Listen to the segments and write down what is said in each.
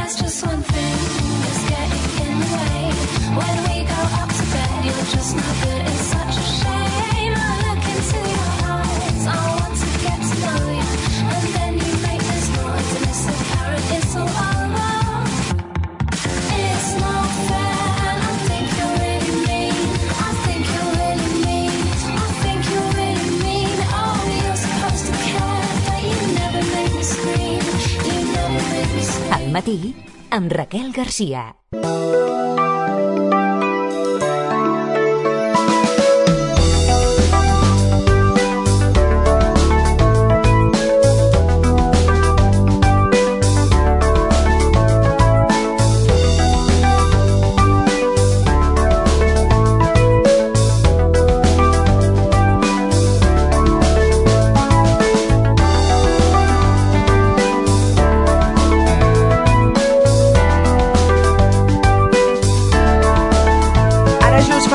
there's just one thing that's getting in the way. When we go up to bed, you're just not good. It's such a shame. I look into your eyes. I want to get to know you, and then you make this noise, and it's apparent it's all over. It's not fair. I think you're really mean. I think you're really mean. I think you're really mean. Oh, you're supposed to care, but you never make me scream. You never make me scream. Al matí, amb Raquel Garcia.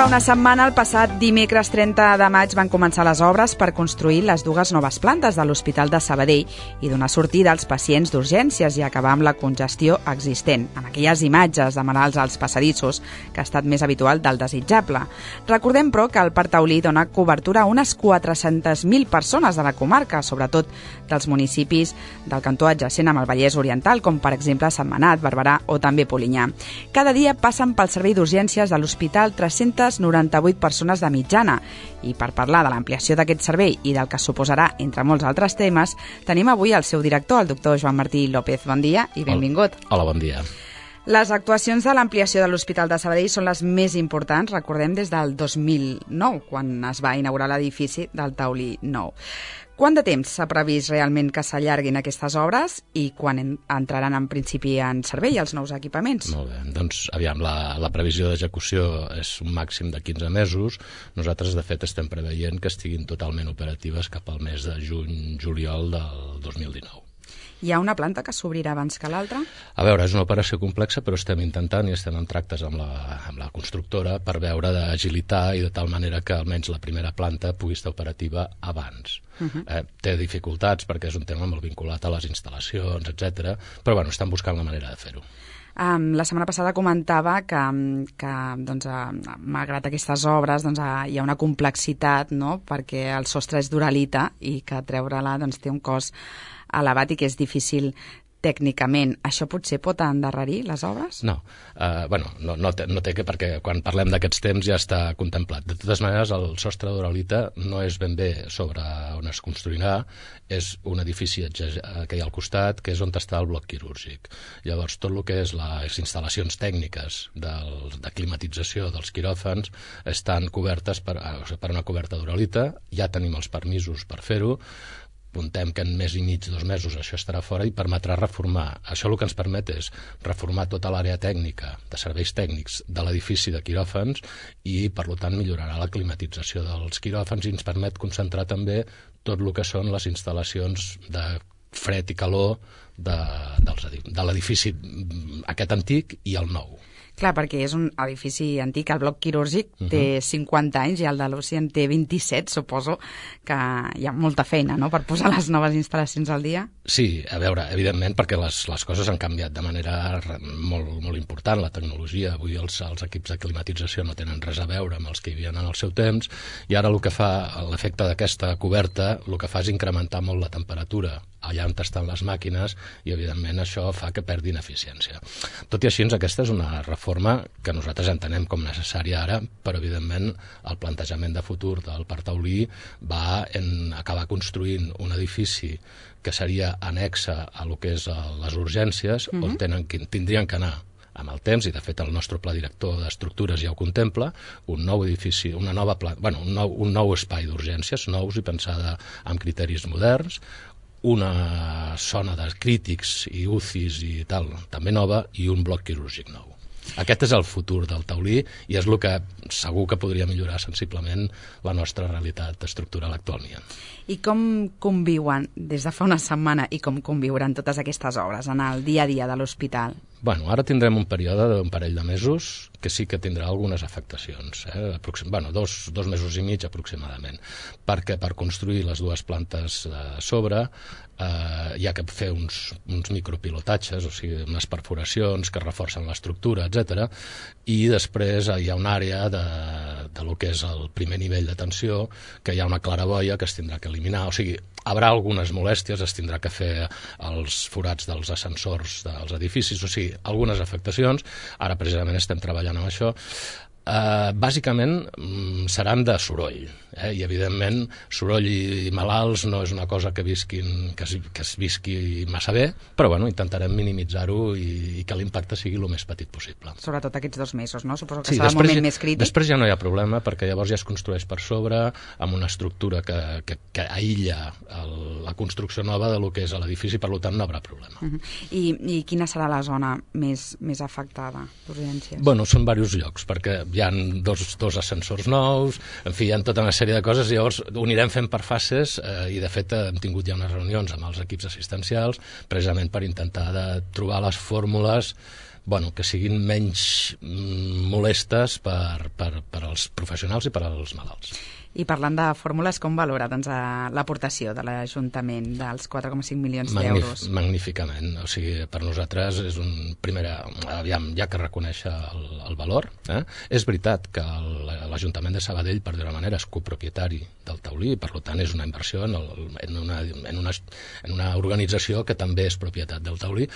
Fa una setmana, el passat dimecres 30 de maig, van començar les obres per construir les dues noves plantes de l'Hospital de Sabadell i donar sortida als pacients d'urgències i acabar amb la congestió existent, amb aquelles imatges de malalts als passadissos que ha estat més habitual del desitjable. Recordem, però, que el Parc Taulí dona cobertura a unes 400.000 persones de la comarca, sobretot dels municipis del cantó adjacent amb el Vallès Oriental, com per exemple Sentmenat, Barberà o també Polinyà. Cada dia passen pel servei d'urgències de l'hospital 398 persones de mitjana. I per parlar de l'ampliació d'aquest servei i del que suposarà, entre molts altres temes, tenim avui el seu director, el doctor Joan Martí López. Bon dia i benvingut. Hola, bon dia. Les actuacions de l'ampliació de l'Hospital de Sabadell són les més importants, recordem, des del 2009, quan es va inaugurar l'edifici del Taulí Nou. Quant de temps s'ha previst realment que s'allarguin aquestes obres i quan entraran en principi en servei els nous equipaments? Molt bé, doncs aviam, la previsió d'execució és un màxim de 15 mesos. Nosaltres, de fet, estem preveient que estiguin totalment operatives cap al mes de juny-juliol del 2019. Hi ha una planta que s'obrirà abans que l'altra? A veure, és una operació complexa, però estem intentant i estem en tractes amb la constructora per veure d'agilitar i de tal manera que almenys la primera planta pugui estar operativa abans. Té dificultats perquè és un tema molt vinculat a les instal·lacions, etc. Però bueno, estan buscant la manera de fer-ho. La setmana passada comentava que doncs, malgrat aquestes obres doncs, hi ha una complexitat, no?, perquè el sostre és d'uralita i que treure-la doncs, té un cost elevat i que és difícil tècnicament. Això potser pot endarrerir les obres? No. No té que, perquè quan parlem d'aquests temps ja està contemplat. De totes maneres, el sostre d'uralita no és ben bé sobre on es construirà, és un edifici que hi ha al costat, que és on està el bloc quirúrgic. Llavors, tot el que és les instal·lacions tècniques de climatització dels quiròfans estan cobertes per una coberta d'uralita, ja tenim els permisos per fer-ho, apuntem que en mes i mig, 2 mesos, això estarà fora i permetrà reformar. Això el que ens permet és reformar tota l'àrea tècnica de serveis tècnics de l'edifici de quiròfans i, per tant, millorarà la climatització dels quiròfans i ens permet concentrar també tot el que són les instal·lacions de fred i calor de l'edifici aquest antic i el nou. Clar, perquè és un edifici antic, el bloc quirúrgic té 50 anys i el de l'UCI en té 27, suposo que hi ha molta feina, no?, per posar les noves instal·lacions al dia. Sí, a veure, evidentment, perquè les coses han canviat de manera molt important, la tecnologia, avui els equips de climatització no tenen res a veure amb els que hi havia en el seu temps, i ara el que fa l'efecte d'aquesta coberta, el que fa és incrementar molt la temperatura allà on estan les màquines i, evidentment, això fa que perdin eficiència. Tot i així, aquesta és una reforma que nosaltres entenem com necessària ara, però, evidentment, el plantejament de futur del Parc Taulí va en acabar construint un edifici que seria anexa a lo que és les urgències, on tindrien que anar amb el temps, i de fet el nostre pla director d'estructures ja ho contempla, un nou edifici, un nou espai d'urgències, nous i pensada amb criteris moderns, una zona de crítics i UCIs i tal, també nova, i un bloc quirúrgic nou. Aquest és el futur del Taulí i és el que segur que podria millorar sensiblement la nostra realitat estructural actualment. I com conviuen des de fa una setmana i com conviuran totes aquestes obres en el dia a dia de l'hospital? Bueno, ara tindrem un període d'un parell de mesos que sí que tindrà algunes afectacions, dos mesos i mig aproximadament, perquè per construir les dues plantes de sobre hi ha que fer uns micropilotatges, o sigui, unes perforacions que reforcen l'estructura, etc. I després hi ha una àrea de lo que és el primer nivell de tensió, que hi ha una claraboia que es tindrà que eliminar, o sigui, haurà algunes molèsties, es tindrà que fer els forats dels ascensors dels edificis, o sigui, algunes afectacions. Ara precisament estem treballant amb això. Bàsicament seran de soroll, i evidentment soroll i malalts no és una cosa que es visqui massa bé, però bueno, intentarem minimitzar-ho i que l'impacte sigui el més petit possible. Sobretot aquests 2 mesos, no? Suposo que serà el moment més crític. Després ja no hi ha problema, perquè llavors ja es construeix per sobre amb una estructura que aïlla la construcció nova de lo que és l'edifici, per tant no hi haurà problema. I quina serà la zona més afectada d'urgències? Bueno, són diversos llocs, perquè hi ha dos ascensors nous, en fi, hi ha tota una sèrie de coses, i llavors ho anirem fent per fases, i de fet hem tingut ja unes reunions amb els equips assistencials precisament per intentar de trobar les fórmules que siguin menys molestes per als professionals i per als malalts. I parlant de fórmules, com valora l'aportació de l'Ajuntament dels 4,5 milions d'euros? Magníficament. O sigui, per nosaltres és hi ha que reconèixer el valor. És veritat que l'Ajuntament de Sabadell, per dir-ho manera, és copropietari del taulí, per tant és una inversió en una organització que també és propietat del taulí,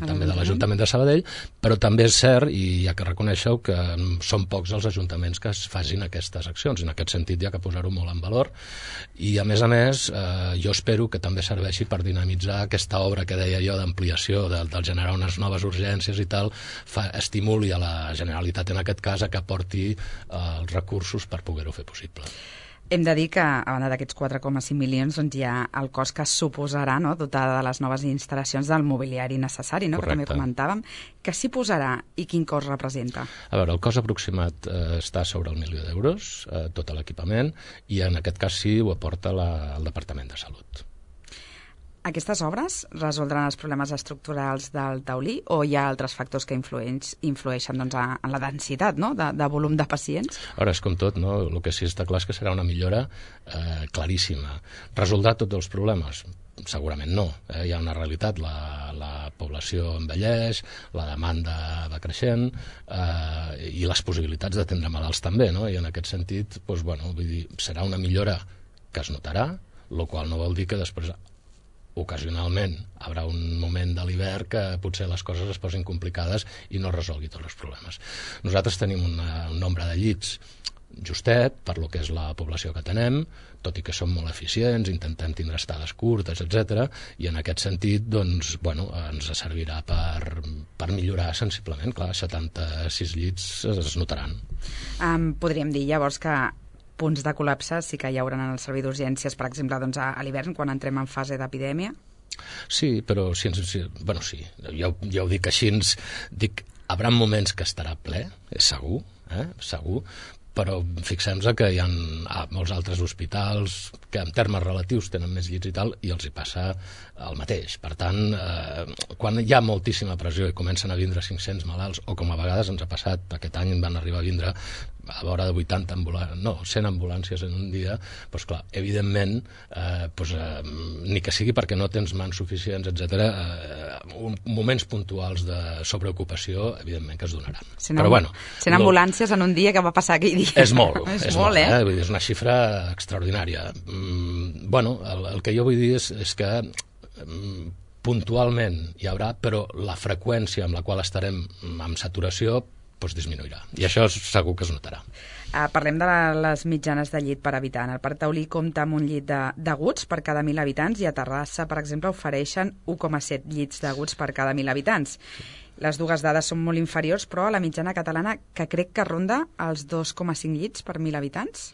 també de l'Ajuntament de Sabadell, però també és cert, i hi ha que reconèixer-ho, que són pocs els ajuntaments que es facin aquestes accions. En aquest sentit hi ha que posar-ho molt en valor, i a més jo espero que també serveixi per dinamitzar aquesta obra que deia jo d'ampliació, del generar unes noves urgències i tal, estimuli a la Generalitat en aquest cas a que aporti els recursos per poder-ho fer possible. Hem de dir que, a banda d'aquests 4,5 milions, doncs hi ha el cost que suposarà, no?, dotar de les noves instal·lacions del mobiliari necessari, no?, que també comentàvem. Què s'hi posarà i quin cost representa? A veure, el cost aproximat està sobre el 1.000.000 d'euros, tot l'equipament, i en aquest cas sí ho aporta el Departament de Salut. Aquestes obres resoldran els problemes estructurals del taulí o hi ha altres factors que influeixen en la densitat, no?, de volum de pacients? Ara, és com tot, no? El que sí està clar és que serà una millora claríssima. Resoldrà tots els problemes? Segurament no. Hi ha una realitat, la població envelleix, la demanda va creixent, i les possibilitats d'atendre malalts també, no? I en aquest sentit, serà una millora que es notarà, el qual no vol dir que després ocasionalment hi haurà un moment de l'hivern que potser les coses es posin complicades i no resolgui tots els problemes. Nosaltres tenim un nombre de llits justet per lo que és la població que tenem, tot i que som molt eficients, intentem tindre estades curtes, etc. I en aquest sentit, ens servirà per millorar sensiblement. Clar, 76 llits es notaran. Podríem dir llavors que punts de col·lapse sí que hi haurà en el servei d'urgències, per exemple, a l'hivern, quan entrem en fase d'epidèmia? Sí, però sí, ja ho dic així, hi haurà moments que estarà ple, és segur, segur, però fixem-nos que hi ha molts altres hospitals que en termes relatius tenen més llits i tal, i els hi passa el mateix. Per tant, quan hi ha moltíssima pressió i comencen a vindre 500 malalts, o com a vegades ens ha passat, aquest any van arribar a vindre a vora de 100 ambulàncies en un dia, doncs clar, evidentment, ni que sigui perquè no tens mans suficients, etc., moments puntuals de sobreocupació, evidentment que es donaran. 100 ambulàncies en un dia, que va passar aquell dia? És molt, és una xifra extraordinària. El que jo vull dir és que puntualment hi haurà, però la freqüència amb la qual estarem amb saturació disminuirà, i això segur que es notarà. Parlem de les mitjanes de llit per habitant. El Parc Taulí compta amb un llit d'aguts per cada 1.000 habitants, i a Terrassa, per exemple, ofereixen 1,7 llits d'aguts per cada 1.000 habitants. Les dues dades són molt inferiors, però a la mitjana catalana, que crec que ronda els 2,5 llits per 1.000 habitants.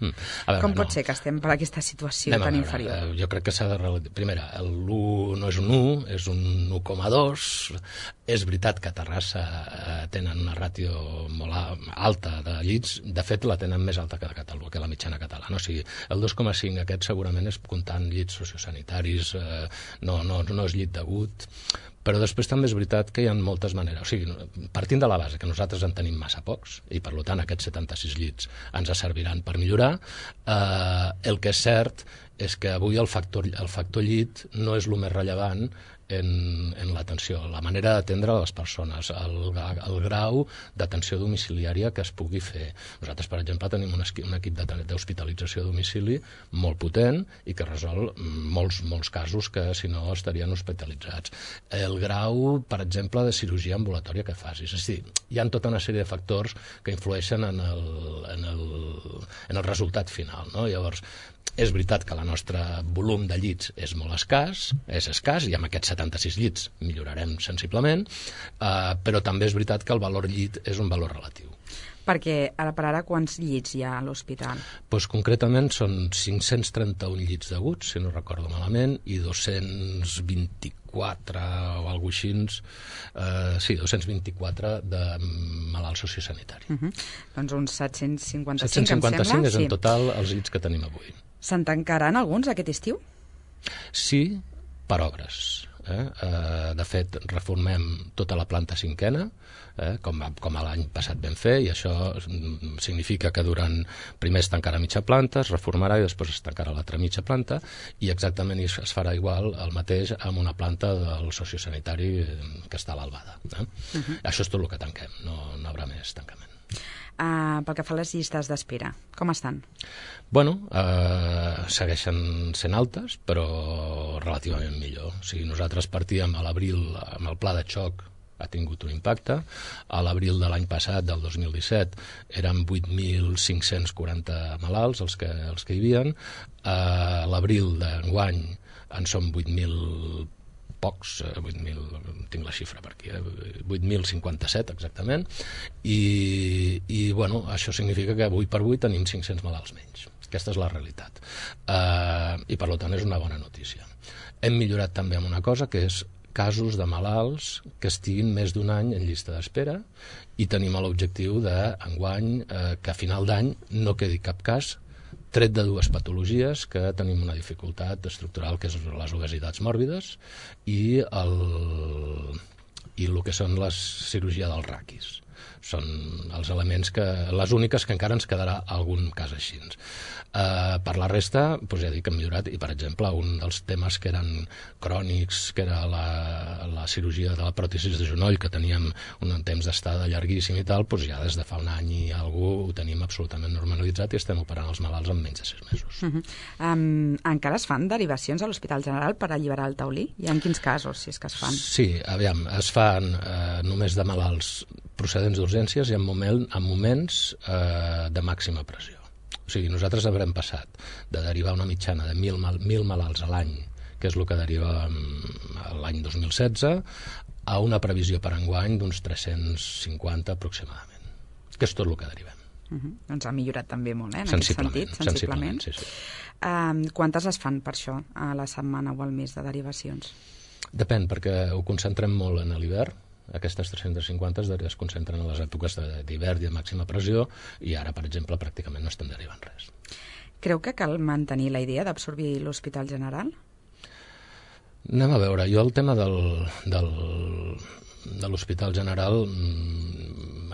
Com pot ser que estem per aquesta situació tan inferior? Jo crec que s'ha de... Primera, l'1 no és un 1, és un 1,2. És veritat que a Terrassa tenen una ràtio molt alta de llits, de fet la tenen més alta que la mitjana catalana, o sigui, el 2,5 aquest segurament és comptant llits sociosanitaris, no és llit d'agut, però després també és veritat que hi ha moltes maneres, o sigui, partint de la base que nosaltres en tenim massa pocs, i per tant aquests 76 llits ens serviran per millorar, el que és cert és que avui el factor llit no és el més rellevant en l'atenció, la manera d'atendre les persones, el grau d'atenció domiciliària que es pugui fer. Nosaltres, per exemple, tenim un equip d'hospitalització a domicili molt potent i que resol molts casos que, si no, estarien hospitalitzats. El grau, per exemple, de cirurgia ambulatòria que facis. És a dir, hi ha tota una sèrie de factors que influeixen en el resultat final, no? Llavors, és veritat que el nostre volum de llits és molt escàs, i amb aquests 76 llits millorarem sensiblement, però també és veritat que el valor llit és un valor relatiu. Perquè ara per ara quants llits hi ha a l'hospital? Doncs concretament són 531 llits d'aguts, si no recordo malament, i 224 o alguna cosa així, 224 de malalt sociosanitari. Doncs uns 755, 755 em sembla. És en total els llits que tenim avui. Se'n tancaran alguns aquest estiu? Sí, per obres. De fet, reformem tota la planta cinquena, com l'any passat vam fer, i això significa que primer es tancarà mitja planta, es reformarà i després es tancarà l'altra mitja planta, i exactament es farà igual el mateix amb una planta del sociosanitari que està a l'Albada. Això és tot el que tanquem, no hi haurà més tancament. Pel que fa a les llistes d'espera, com estan? Bueno, segueixen sent altes, però relativament millor. O sigui, nosaltres partíem a l'abril amb el pla de xoc, ha tingut un impacte. A l'abril de l'any passat, del 2017, eren 8.540 malalts els que hi havia. A l'abril d'enguany en són 8.000 pocs, 8.000, tinc la xifra per aquí, 8.057 exactament, i bueno, això significa que avui per avui tenim 500 malalts menys. Aquesta és la realitat. I per tant és una bona notícia. Hem millorat també amb una cosa, que és casos de malalts que estiguin més d'un any en llista d'espera, i tenim l'objectiu d'enguany que a final d'any no quedi cap cas, tret de dues patologies que tenim una dificultat estructural, que és les obesitats mòrbides i el que són les cirurgia dels raquis. Són els elements les úniques que encara ens quedarà algun cas així. Per la resta, ja dic que hem millorat, i per exemple un dels temes que eren crònics, que era la cirurgia de la pròtesi de genoll, que teníem un temps d'estada llarguíssim i tal, ja des de fa un any i alguna ho tenim absolutament normalitzat i estem operant els malalts en menys de 6 mesos. Encara es fan derivacions a l'Hospital General per alliberar el taulí? I en quins casos, si és que es fan? Sí, aviam, es fan només de malalts procedents d'urgències i en moments de màxima pressió. O sigui, nosaltres haurem passat de derivar una mitjana de 1.000 malalts a l'any, que és el que deriva l'any 2016, a una previsió per enguany d'uns 350 aproximadament, que és tot el que derivem. Doncs ha millorat també molt, en aquest sentit, sensiblement. Sí. Quantes es fan per això a la setmana o al mes de derivacions? Depèn, perquè ho concentrem molt en l'hivern. Aquestes 350 es concentren en les èpoques d'hivern i de màxima pressió, i ara, per exemple, pràcticament no estem derivant res. Creu que cal mantenir la idea d'absorbir l'Hospital General? Anem a veure, jo el tema de l'Hospital General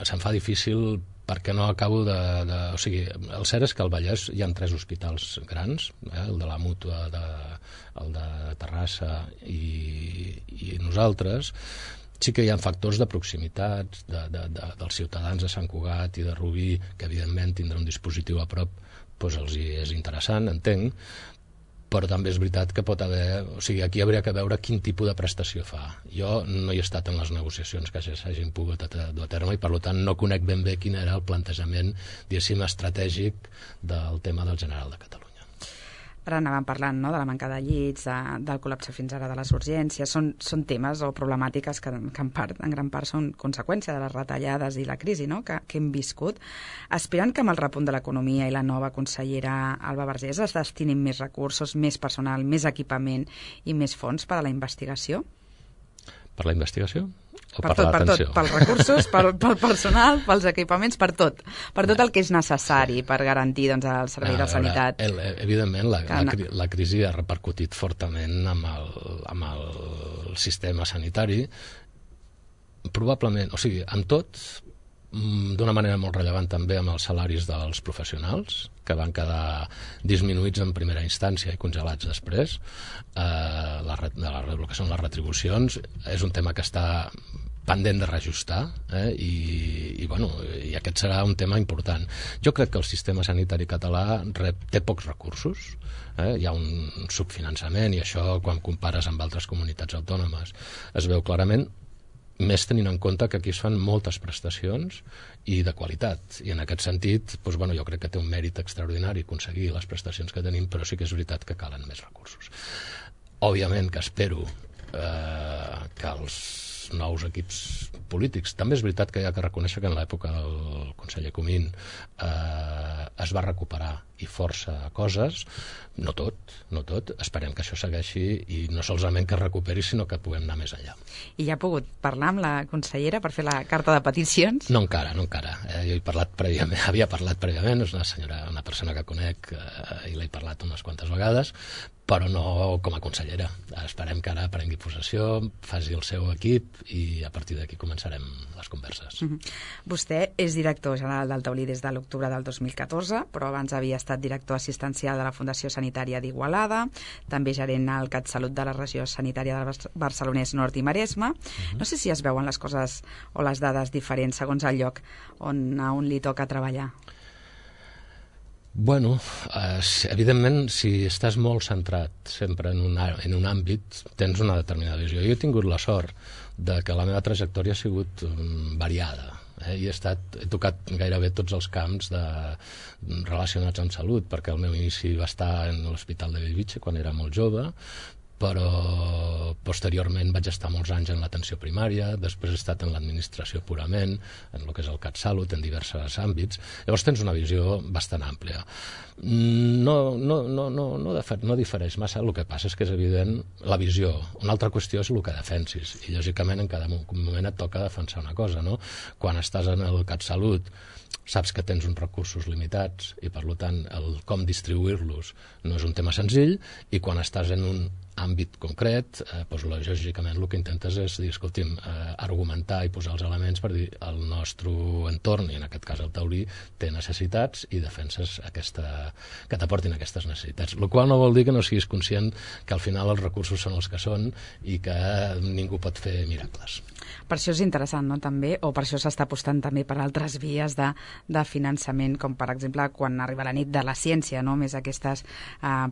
se'm fa difícil perquè no acabo o sigui, el cert és que al Vallès hi ha 3 hospitals grans, el de la Mútua, el de Terrassa i nosaltres. Sí que hi ha factors de proximitat dels ciutadans de Sant Cugat i de Rubí, que evidentment tindrà un dispositiu a prop, els és interessant, entenc, però també és veritat que pot haver... O sigui, aquí hauria que veure quin tipus de prestació fa. Jo no hi he estat en les negociacions que s'hagin pogut dur a terme i, per tant, no conec ben bé quin era el plantejament, diguéssim, estratègic del tema del General de Catalunya. Ara anàvem parlant, no?, de la manca de llits, del col·lapse fins ara de les urgències. Són temes o problemàtiques que en gran part són conseqüència de les retallades i la crisi, no?, que hem viscut. Esperen que amb el repunt de l'economia i la nova consellera Alba Vergés es destinin més recursos, més personal, més equipament i més fons per a la investigació? Per la investigació? Per tot, pels recursos, pel personal, pels equipaments, per tot el que és necessari per garantir doncs, el servei de sanitat. Evidentment, la crisi ha repercutit fortament amb el sistema sanitari, probablement, o sigui, amb tot, d'una manera molt rellevant també amb els salaris dels professionals, que van quedar disminuïts en primera instància i congelats després. El que són les retribucions és un tema que està pendent de reajustar, i aquest serà un tema important. Jo crec que el sistema sanitari català té pocs recursos, hi ha un subfinançament, i això, quan compares amb altres comunitats autònomes, es veu clarament, més tenint en compte que aquí es fan moltes prestacions i de qualitat, i en aquest sentit jo crec que té un mèrit extraordinari aconseguir les prestacions que tenim, però sí que és veritat que calen més recursos. Òbviament que espero que els nous equips polítics, també és veritat que hi ha que reconèixer que en l'època del conseller Comín es va recuperar i força coses, no tot, esperem que això segueixi i no solament que es recuperi, sinó que puguem anar més enllà. I ja ha pogut parlar amb la consellera per fer la carta de peticions? No encara. Jo havia parlat prèviament, és una persona que conec i l'he parlat unes quantes vegades, però no com a consellera. Esperem que ara prengui possessió, faci el seu equip i a partir d'aquí començarem les converses. Vostè és director general del Taulí des de l'octubre del 2014, però abans havia estat director assistencial de la Fundació Sanitària d'Igualada, també gerent al CatSalut de la regió sanitària del Barcelonès Nord i Maresme. No sé si es veuen les coses o les dades diferents segons el lloc a on li toca treballar. Bueno, evidentment, si estàs molt centrat sempre en un àmbit, tens una determinada visió. Jo he tingut la sort de que la meva trajectòria ha sigut variada, i he tocat gairebé tots els camps relacionats amb salut, perquè el meu inici va estar en l'Hospital de Bellvitge quan era molt jove, però posteriorment vaig estar molts anys en l'atenció primària, després he estat en l'administració purament, en el que és el CatSalut, en diversos àmbits. Llavors tens una visió bastant àmplia. No difereix massa, el que passa és que és evident la visió. Una altra qüestió és el que defensis, i lògicament en cada moment et toca defensar una cosa, no? Quan estàs en el CatSalut saps que tens uns recursos limitats i per tant el com distribuir-los no és un tema senzill, i quan estàs en un àmbit concret, lògicament el que intentes és dir, escolti'm, argumentar i posar els elements per dir el nostre entorn, i en aquest cas el Taulí, té necessitats i defenses que t'aportin aquestes necessitats. El qual no vol dir que no siguis conscient que al final els recursos són els que són i que ningú pot fer miracles. Per això és interessant, no?, també, o per això s'està apostant també per altres vies de finançament, com per exemple quan arriba la nit de la ciència, no?, més aquestes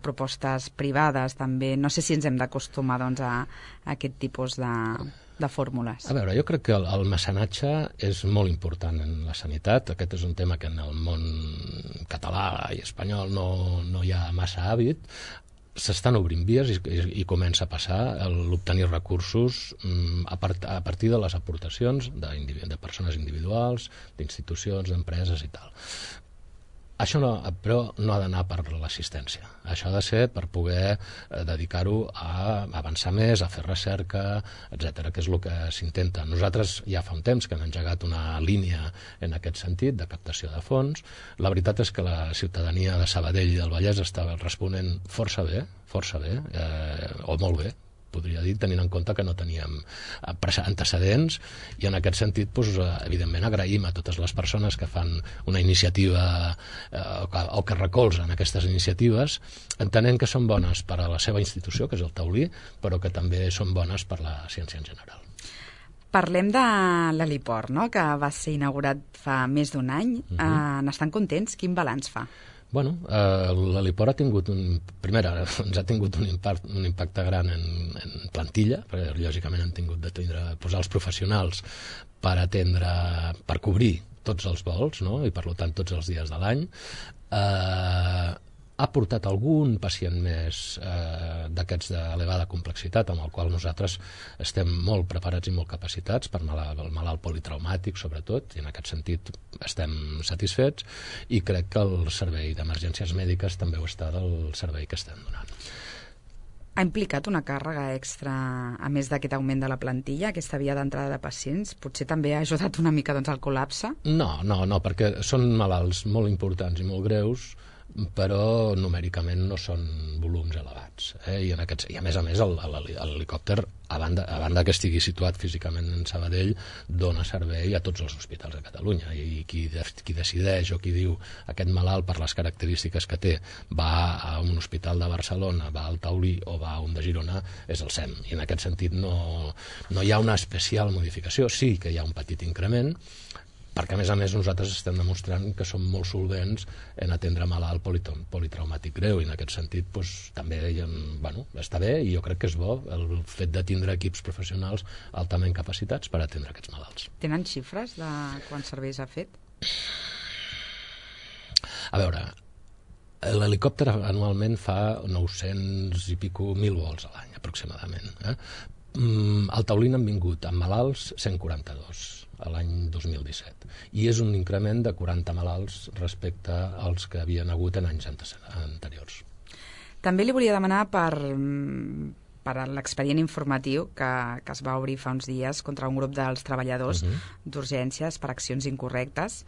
propostes privades també. No sé si ens hem d'acostumar doncs, a aquest tipus de fórmules. A veure, jo crec que el mecenatge és molt important en la sanitat. Aquest és un tema que en el món català i espanyol no hi ha massa hàbit. S'estan obrint vies i comença a passar l'obtenir recursos a partir de les aportacions de persones individuals, d'institucions, d'empreses i tal. Això però no ha d'anar per l'assistència. Això ha de ser per poder dedicar-ho a avançar més, a fer recerca, etc., que és el que s'intenta. Nosaltres ja fa un temps que hem engegat una línia en aquest sentit, de captació de fons. La veritat és que la ciutadania de Sabadell i del Vallès està responent força bé, o molt bé, podria dir, tenint en compte que no teníem antecedents, i en aquest sentit, evidentment, agraïm a totes les persones que fan una iniciativa o que recolzen aquestes iniciatives, entenent que són bones per a la seva institució, que és el Taulí, però que també són bones per la ciència en general. Parlem de l'heliport, no?, que va ser inaugurat fa més d'un any. N'estan contents? Quin balanç fa? Bueno, l'heliport ens ha tingut un impacte gran en plantilla, perquè lògicament han tingut de posar els professionals per cobrir tots els vols, no?, i per tant tots els dies de l'any. Ha portat algun pacient més d'aquests d'elevada complexitat, amb el qual nosaltres estem molt preparats i molt capacitats, per el malalt politraumàtic sobretot, i en aquest sentit estem satisfets, i crec que el servei d'emergències mèdiques també ho està del servei que estem donant. Ha implicat una càrrega extra, a més d'aquest augment de la plantilla, aquesta via d'entrada de pacients? Potser també ha ajudat una mica doncs, al col·lapse? No, perquè són malalts molt importants i molt greus, però numèricament no són volums elevats. I a més, l'helicòpter, a banda que estigui situat físicament en Sabadell, dona servei a tots els hospitals de Catalunya. I qui decideix o qui diu aquest malalt, per les característiques que té, va a un hospital de Barcelona, va al Taulí o va a un de Girona, és el SEM. I en aquest sentit no hi ha una especial modificació. Sí que hi ha un petit increment, perquè a més nosaltres estem demostrant que som molt solvents en atendre malalt politraumàtic greu, i en aquest sentit també està bé, i jo crec que és bo el fet de tindre equips professionals altament capacitats per atendre aquests malalts. Tenen xifres de quants serveis ha fet? A veure, l'helicòpter anualment fa 900 i pico 1.000 vols a l'any aproximadament. Al Taulí han vingut amb malalts 142 a l'any 2017, i és un increment de 40 malalts respecte als que havien hagut en anys anteriors. També li volia demanar per l'expedient informatiu que es va obrir fa uns dies contra un grup dels treballadors d'urgències per accions incorrectes.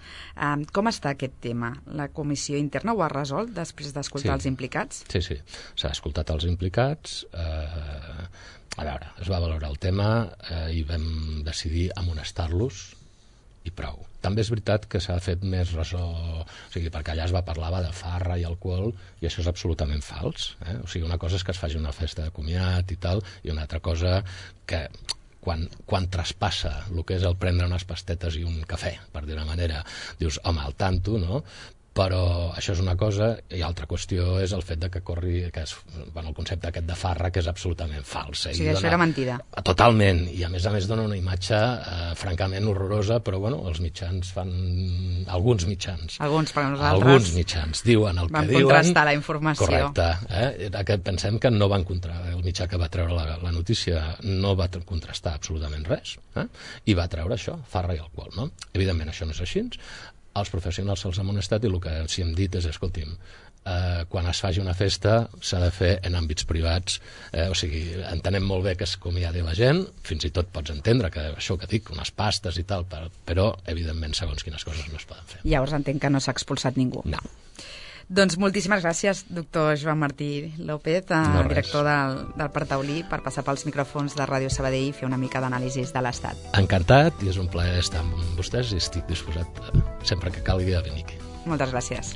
Com està aquest tema? La comissió interna ho ha resolt després d'escoltar els implicats? Sí, s'ha escoltat els implicats. A veure, es va valorar el tema i vam decidir amonestar-los i prou. També és veritat que s'ha fet més ressò, perquè allà es va parlar de farra i alcohol, i això és absolutament fals. Una cosa és que es faci una festa de comiat i tal, i una altra cosa que quan traspassa el que és el prendre unes pastetes i un cafè, per dir-ho manera, dius, home, al tanto, no? Però això és una cosa, i altra qüestió és el fet de que corri el concepte aquest de farra, que és absolutament fals. O sigui, això era mentida. Totalment, i a més dona una imatge francament horrorosa, però els mitjans fan... Alguns mitjans. Perquè nosaltres... Alguns mitjans diuen el que diuen. Van contrastar la informació. Correcte. Pensem que no van contrastar, el mitjà que va treure la notícia no va contrastar absolutament res, i va treure això, farra i alcohol, no? Evidentment, això no és així. Els professionals se'ls ha amonestat, i el que sí hem dit és, escolti'm, quan es faci una festa s'ha de fer en àmbits privats, entenem molt bé que es acomiadi la gent, fins i tot pots entendre que això que dic, unes pastes i tal, però evidentment segons quines coses no es poden fer. Llavors entenc que no s'ha expulsat ningú. No. Doncs moltíssimes gràcies, doctor Joan Martí López, director del Parc Taulí, per passar pels micròfons de Ràdio Sabadell i fer una mica d'anàlisi de l'estat. Encantat, i és un plaer estar amb vostès, i estic disposat sempre que calgui a venir aquí. Moltes gràcies.